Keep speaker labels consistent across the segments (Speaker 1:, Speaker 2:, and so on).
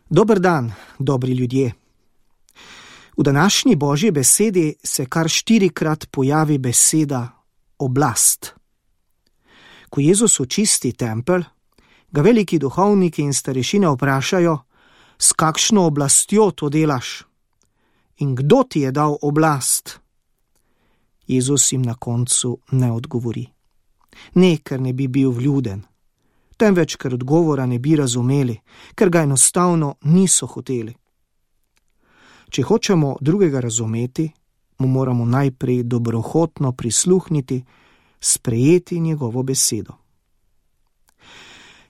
Speaker 1: Dober dan, dobri ljudje. V današnji Božji besedi se kar 4-krat pojavi beseda oblast. Ko Jezus očisti tempelj, ga veliki duhovniki in starešine vprašajo, s kakšno oblastjo to delaš in kdo ti je dal oblast. Jezus jim na koncu ne odgovori. Ne, ker ne bi bil vljuden, temveč ker odgovora ne bi razumeli, ker ga enostavno niso hoteli. Če hočemo drugega razumeti, mu moramo najprej dobrohotno prisluhniti, sprejeti njegovo besedo.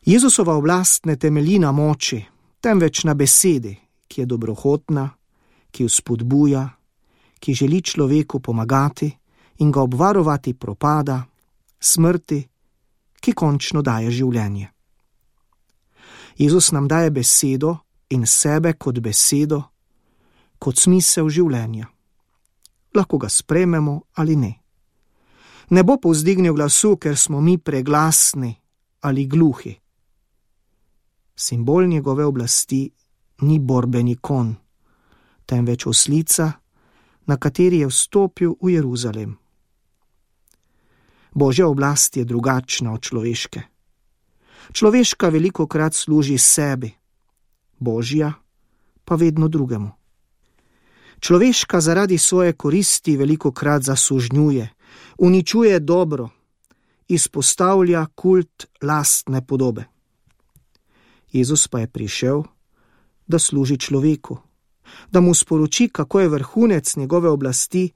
Speaker 1: Jezusova oblast ne temelji na moči, temveč na besedi, ki je dobrohotna, ki vzpodbuja, ki želi človeku pomagati in ga obvarovati propada, smrti, ki končno daje življenje. Jezus nam daje besedo in sebe kot besedo, kot smisel življenja. Lahko ga sprejmemo ali ne. Ne bo povzdignil glasu, ker smo mi preglasni ali gluhi. Simbol njegove oblasti ni borbeni konj, temveč oslica, na kateri je vstopil v Jeruzalem. Božja oblast je drugačna od človeške. Človeška velikokrat služi sebi, Božja pa vedno drugemu. Človeška zaradi svoje koristi velikokrat zasužnjuje, uničuje dobro, izpostavlja kult lastne podobe. Jezus pa je prišel, da služi človeku, da mu sporoči, kako je vrhunec njegove oblasti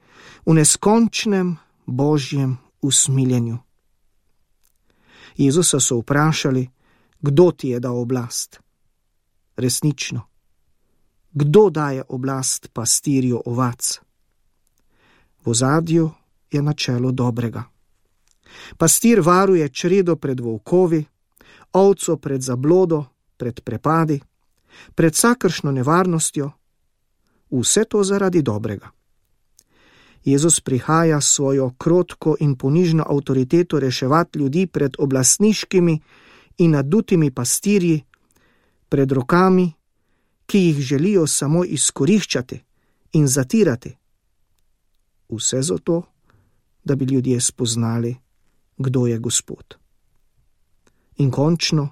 Speaker 1: v neskončnem Božjem usmiljenju. Jezusa so vprašali, kdo ti je dal oblast. Resnično, kdo daje oblast pastirju ovac? V ozadju je načelo dobrega. Pastir varuje čredo pred volkovi, ovco pred zablodo, pred prepadi, pred vsakršno nevarnostjo, vse to zaradi dobrega. Jezus prihaja s svojo krotko in ponižno avtoriteto reševati ljudi pred oblastniškimi in nadutimi pastirji, pred rokami, ki jih želijo samo izkoriščati in zatirati. Vse zato, da bi ljudje spoznali, kdo je Gospod. In končno,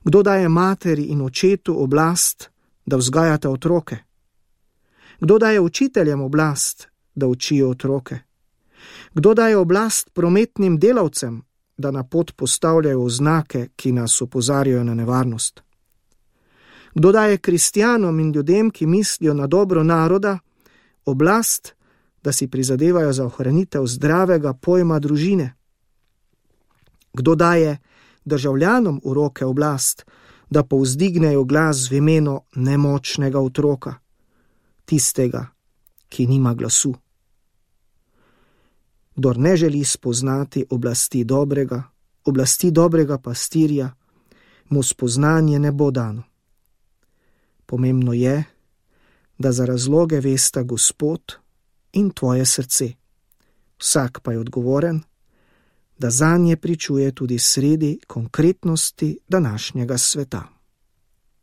Speaker 1: kdo daje materi in očetu oblast, da vzgajata otroke? Kdo daje učiteljem oblast, da učijo otroke? Kdo daje oblast prometnim delavcem, da na pot postavljajo oznake, ki nas opozarjajo na nevarnost? Kdo daje kristjanom in ljudem, ki mislijo na dobro naroda, oblast, da si prizadevajo za ohranitev zdravega pojma družine? Kdo daje državljanom v roke oblast, da povzdignejo glas v imenu nemočnega otroka, tistega, ki nima glasu? Kdor ne želi spoznati oblasti dobrega pastirja, mu spoznanje ne bo dano. Pomembno je, da za razloge vesta Gospod in tvoje srce. Vsak pa je odgovoren, da zanje pričuje tudi sredi konkretnosti današnjega sveta.